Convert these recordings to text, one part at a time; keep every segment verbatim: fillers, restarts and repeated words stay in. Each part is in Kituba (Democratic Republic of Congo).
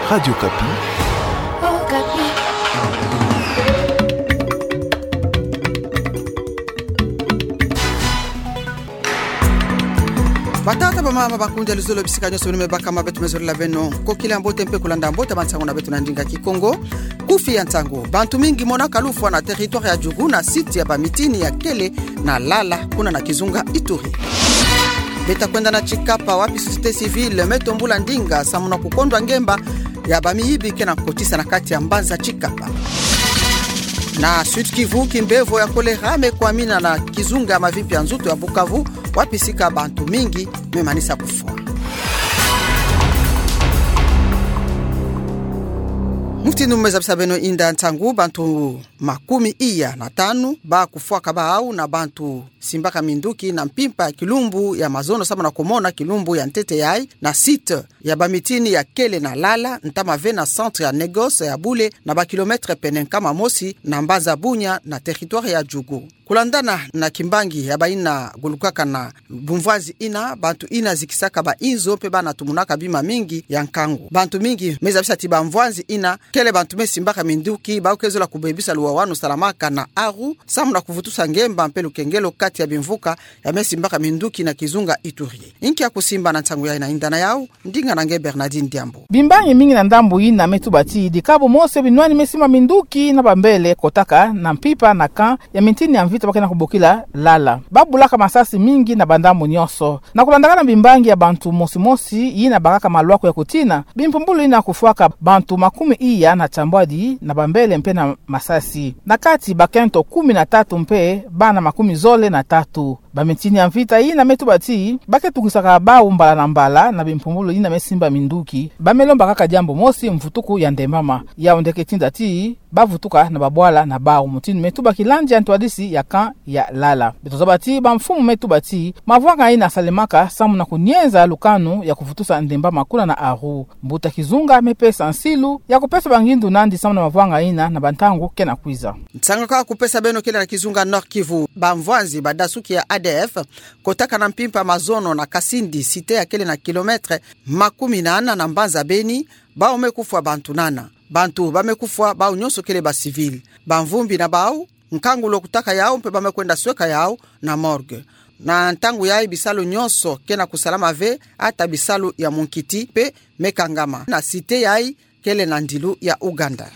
Radio Okapi. Batata, bamama, bakundi ya luzolo, bisika nyonso beno me bakama, beto me zolila beno kokila mbote mpe kulanda mbote bansangu na beto na ndinga Kikongo. Kufi ya nsangu: bantu mingi monaka lufwa na territoire ya Djugu na site ya bamitini ya Kele na Lala, kuna na kizunga Ituri. Beta kwenda na Tshikapa, wapi société civile me tombula ndinga samu na kukondwa ngemba ya bamiyibi ke na kotisa na kati ya mbanza Tshikapa. Na Sud-Kivu, kimbevo ya choléra me kwamina na kizunga ya mavimpi ya nzutu ya Bukavu, wapi sika bantu mingi me manisa kufwa. Mutindu mu me zabisa beno inda nsangu, bantu makumi iya na tanu ba kufwaka bawu na bantu simbaka minduki na mpimpa ya kilumbu ya mazono samu na kumona kilumbu ya ntete yayi na site ya bamitini ya Kele na Lala, ntama ve na centre ya négoce ya bule, na ba kilomètre pene nkama mosi na mbanza Bunia na territoire ya Djugu. Kulandana na kimbangi ya bayina gulukaka na bumvwanzi yina, bantu yina zikisaka bainzo mpe bana tumunaka bima mingi ya nkangu. Bantu mingi me zabisa ti bamvwanzi yina kele bantu me simbaka minduki, bawu ke zola kubebisa luwawanu salamaka na Aru, samu na kuvutusa ngemba mpe lukengelo kati ya bimvuka ya me simbaka minduki na kizunga Ituri. Inki ya kusimba na nsangu yayi na inda na yawu, ndinga na nge Bernardine Diambu. Bimbangi mingi na ndambu yina me tuba ti dikabu mosi binwani me simba minduki na bambele kotaka na mpimpa na camp ya mitini ya mvita ba ke na kubokila Lala. Ba bulaka masasi mingi na bandambu nyonso. Na kulandaka na bimbangi ya bantu mosi mosi yina bakaka malwaku ya kutina, bimpumbulu yina kufwaka bantu makumi iya na tiambwadi na bambele mpe na masasi. Na kati bakento kumi na tatu mpe bana makumi zole na tatu. Bamitini ya mvita yina me tuba ti ba ke tungwisaka bawu mbala na mbala na bimpumbulu yina me simba minduki, ba me lomba kaka diambu mosi: mvutuku ya ndembama. Yawu nde ke tinda ti ba vutuka na babwala na bawu, mutindu me tuba kilandi ya ntwadisi ya camp ya Lala. Beto zaba ti bamfumu me tuba ti mavwanga yina salemaka samu na kunienza lukanu ya kuvutusa ndembama kuna na Aru. Mbuta kizunga me pesa nsilu ya kupesa bangindu nandi samu na mavwanga yina na bantangu ke na kwiza. Nsangu ka kupesa beno kele na kizunga Nord-Kivu. Bamvwanzi badasuki ya A D F kotaka na mpimpa mazono na Kasindi, site ya kele na kilomètre makumi nana na mbanza Beni, bawu me kufwa bantu nana. Bantu ba me kufwa bawu nyonso kele ba civil. Bamvumbi na bawu, nkangu lo kutaka yawu mpe ba me kwenda sweka yawu na morgue. Na ntangu yayi bisalu nyonso ke na kusalama ve, ata bisalu ya munkiti mpe me kangama na site yayi kele na ndilu ya Ouganda.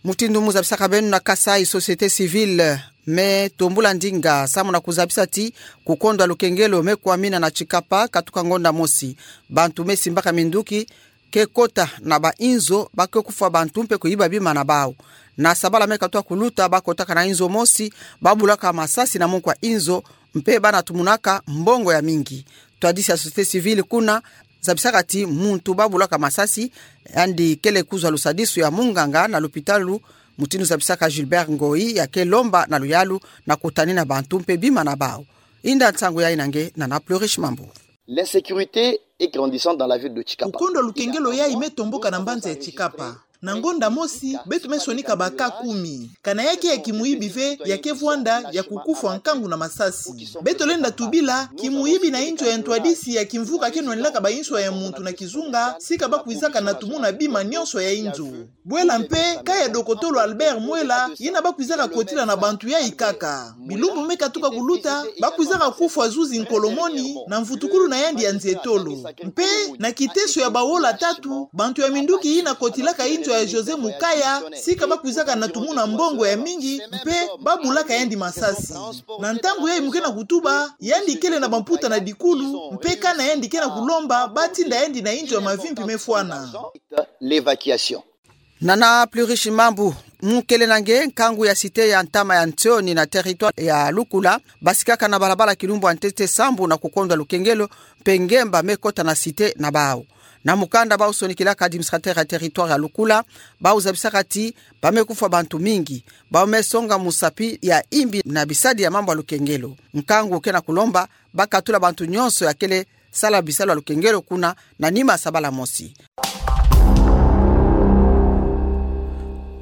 Mutindu mu zabisaka beno na Kasaï, société civile me tombula ndinga samu na kuzabisa ti kukondwa lukengelo me kwamina na Tshikapa katuka ngonda mosi. Bantu me simbaka minduki ke kota na bainzo, ba ke kufwa bantu mpe kuyiba bima na bawu. Na sabala me katuka kuluta, ba kotaka na inzo mosi, ba bulaka masasi na munkwa inzo, mpe bana tumunaka mbongo ya mingi. Ntwadisi ya société civile kuna zabisaka ti muntu ba bulaka masasi, yandi kele kuzwa lusadisu ya munganga na lupitalu, mutindu zabisaka Gilbert Ngoyi, ya ke lomba na luyalu na kutanina bantu mpe bima na bawu. Inda nsangu yayi na nge Nana Plurish Mambu. L'insécurité est grandissante dans la ville de Tshikapa. Kukondwa lukengelo yayi me tomboka na mbanza ya Tshikapa. Na ngonda mosi, beto me sonika ba cas kumi. Kana ya ke ya kimuyibi ve, ya ke vwanda ya kukufwa nkangu na masasi. Beto lenda tubila, kimuyibi na inzo ya ntwadisi ya kimvuka ke nwanilaka bainswa ya muntu na kizunga, sika ba kwizaka na tumuna bima nyonso ya inzo. Bwela mpe, cas ya dokotolo Albert Mwela, yina ba kwizaka kotila na bantu yayi kaka. Bilumbu me katuka kuluta, ba kwizaka kufwa zuzi nkolomoni, na mvutukulu na yandi ya nzietolo. Mpe, na kiteso ya bawola tatu, bantu ya minduki yina kotilaka inzo ya José Mukaya, sika ba kwizaka na tumuna mbongo ya mingi, mpe ba bulaka yandi masasi. Na ntangu yayi mu ke na kutuba, yandi kele na bamputa na dikulu, mpe kana yandi ke na kulomba, ba tinda yandi na inzo ya mavimpi me fwana. L'évacuation. Nana Plurish Mambu, mu kele na nge, nkangu ya site ya ntama ya Ntsioni na territoire ya Lukula, basikaka na balabala kilumbu ya ntete sambu na kukondwa lukengelo, mpe ngemba me kota na site na bawu. Na mukanda bawu sonikilaka administrateur ya territoire ya Lukula, bawu zabisaka ti ba me kufwa bantu mingi, bawu me songa musapi ya imbi na bisadi ya mambu ya lukengelo. Nkangu ke na kulomba ba katula bantu nyonso ya kele sala bisalu ya lukengelo kuna na nima sabala mosi.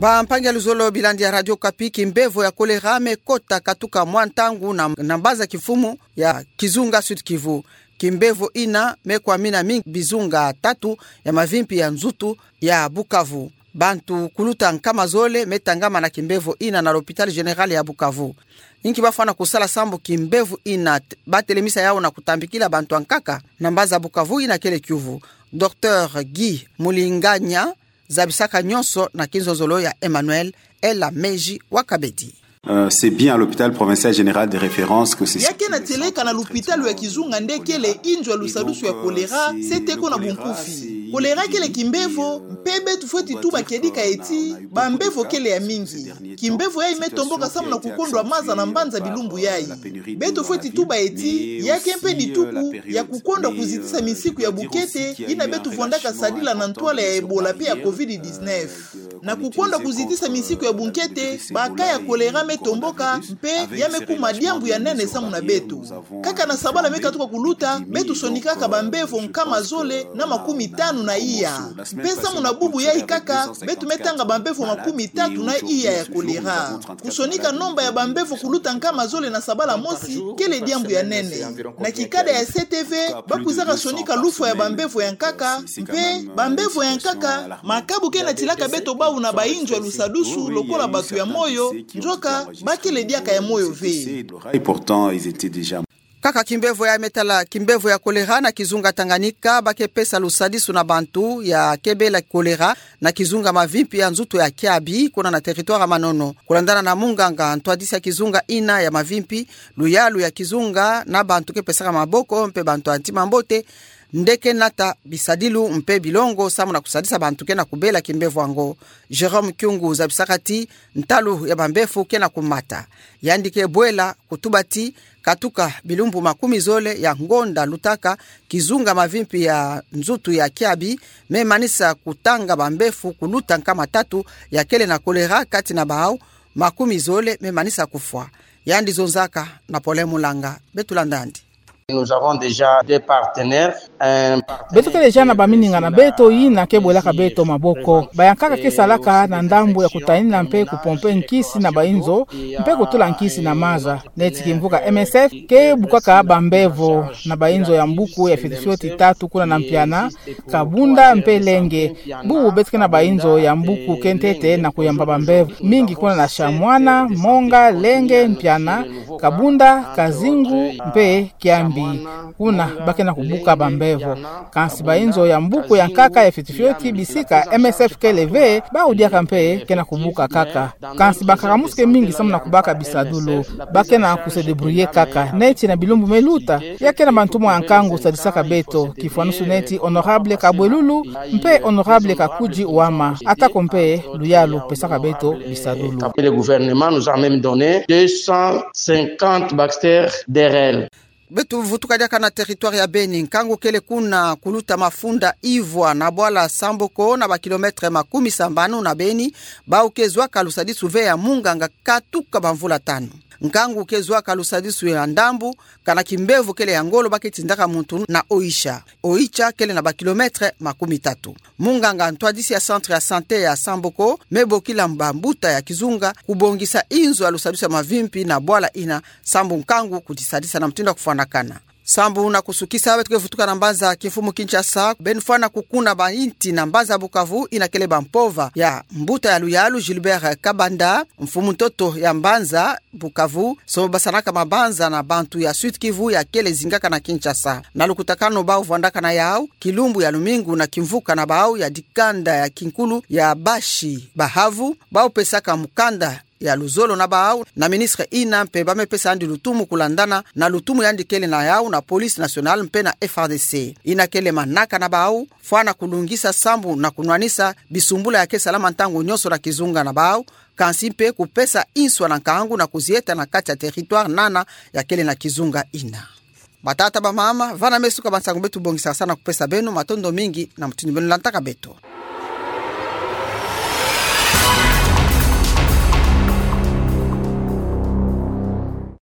Bampangi ya luzolo, bilandi ya Radio Okapi, kimbevo ya kolera me kota katuka mwa ntangu na, na mbanza kimfumu ya kizunga Sud-Kivu. kimbevo ina me kwamina mingi bizunga tatu ya mavimpi ya nzutu ya Bukavu. Bantu kuluta nkama zole me tangama na kimbevo ina na l'hôpital général ya Bukavu. Inki bafwana kusala sambu kimbevo ina t-, batelemisa yau na kutambikila bantu ya nkaka? Na mbanza Bukavu ina kele kiuvu. Docteur Guy Mulinganya zabisaka nyonso na kinzonzolo ya Emmanuel Ela Meji wa Kabedi. Euh, c'est bien à l'hôpital provincial général de référence que c'est... Ya kena tieleka na lupitalu ya kizunga nde kele inzo ya lusadusu ya kolera, se teko na bunkufi. Kolera kele kimbevo, mpe beto fweti tuba kedika eti bambevo kele ya mingi. Kimbevo yayi me tomboka samu na kukondwa maza na mbanza bilumbu yayi. Beto fweti tuba eti ya ke mpe dituku ya kukondwa kuzitisa misiku ya bukete ina beto vwandaka sadila na ntwala ya Ebola mpe ya covid dix-neuf. Na kukondwa kuzitisa misiku ya bunkete, ba cas ya kolera me tomboka, mpe ya me kuma diambu ya nene samu na beto. Kaka na sabala me katuka kuluta, beto sonikaka bambevo nkama zole na makumi tanu na iya. Mpe samu na bubu yayi kaka, beto me tanga bambevo makumi tatu na iya ya kolera. Kusonika nomba ya bambevo kuluta nkama zole na sabala mosi, kele diambu ya nene. Na kikada ya C T V, ba kwizaka sonika lufwa ya bambevo ya nkaka, mpe bambevo ya nkaka, makabu ke natilaka beto bau na bainzo ya lusadusu lokola bato ya moyo, nzoka ba kele diaka ya moyo ve. Pourtant, ils étaient déjà... Kaka kimbevo ya me tala kimbevo ya kolera na kizunga Tanganyika, ba ke pesa lusadusu na bantu ya ke bela kolera na kizunga mavimpi ya nzutu ya Kiabi, kuna na territoire ya Manono. Kulandana na munganga ntwadisi ya kizunga ina ya mavimpi, luyalu ya kizunga na bantu ke pesaka maboko mpe bantu ya ntima mbote nde ke nata bisadilu mpe bilongo samu na kusadisa bantu ke na kubela kimbevo yango. Jérôme Kyungu zabisaka ti ntalu ya bambevo ke na kumata. Yandi ke bwela kutuba ti katuka bilumbu makumi zole ya ngonda lutaka, kizunga mavimpi ya nzutu ya Kiabi me manisa kutanga bambevo kuluta nkama tatu ya kele na kolera, kati na bau makumi zole me manisa kufwa. Yandi zonzaka na Paulin Mulanga. Beto landa yandi. Nous avons déjà des partenaires, un partenaire... Beto ke deja na bamininga na beto yina ke bwelaka beto maboko. Bayankaka ke salaka na ndambu ya kutanina mpe kupompe nkisi na bainzo, mpe kutula nkisi na maza. Neti kimvuka M S F ke bukaka bambevo na bainzo ya mbuku ya fioti fioti tatu kuna na Mpiana, Kabunda mpe Lenge. Bubu beto ke na bainzo ya mbuku ke ntete na kuyamba bambevo mingi kuna na Chamwana, Monga, Lenge, Mpiana, Kabunda, Kazingu mpe Kiambi. Kuna ba ke na kubuka bambevo. Kansi bainzo ya mbuku ya nkaka ya fioti fioti bisika M S F kele ve, bau diaka mpe ke na kubuka kaka. Kansi bankaka musu ke mingi samu na kubaka bisadulu. Ba ke na ku se débrouiller kaka. Neti na bilumbu me luta, ya ke na bantumwa ya nkangu sadisaka beto, kifwanusu neti honorable Kabwelulu mpe honorable Kakudji Wama, atako mpe luyalu pesaka beto bisadulu. Et le gouvernement nous a même donné deux cent cinquante Baxter D R L. Beto vutuka diaka na territoire ya Beni. Nkangu kele kuna kuluta mafunda Ivwa na bwala Samboko, na ba kilomètre makumi sambanu na Beni, bau ke zwaka lusadisu ve ya munganga katuka bamvula tanu. Nkangu ke zwaka lusadisu ya ndambu, kana kimbevo kele ya ngolo ba ke tindaka muntu na Oicha. Oicha kele na ba kilomètre makumi tatu. Munganga ntwadisi ya centre ya santé ya Samboko me bokila bambuta ya kizunga kubongisa inzo ya lusadisu ya mavimpi na bwala ina, sambu nkangu kudisadisa na mutindu ya kufwanakana. Sambu na kusukisa, beto ke vutuka na mbanza kimfumu Kinshasa, beno fwana kukuna bainti na mbanza Bukavu, ina kele bampova ya mbuta ya luyalu Gilbert Kabanda, mfumu ntoto ya mbanza Bukavu, somo basanaka mabanza na bantu ya Sud-Kivu ya kele zingaka na Kinshasa. Na lukutakanu bau vwandaka na yau kilumbu ya lumingu na kimvuka na bau ya dikanda ya kinkulu ya bashi bahavu, bau pesaka mukanda ya luzolo na bau na ministre ina, mpe ba me pesa yandi lutumu kulandana na lutumu yandi kele na yau na police nationale mpe na F A R D C. Ina kele manaka na bau, fwana kulungisa sambu na kunwanisa bisumbula ya ke salama ntangu nyonso na kizunga na bau, kansi mpe kupesa inswa na nkangu na kuzieta na kati ya territoire nana ya kele na kizunga ina. Batata, bamama, vana me suka bansangu beto bongisaka sa na kupesa beno. Matondo mingi na mutindu beno landaka beto.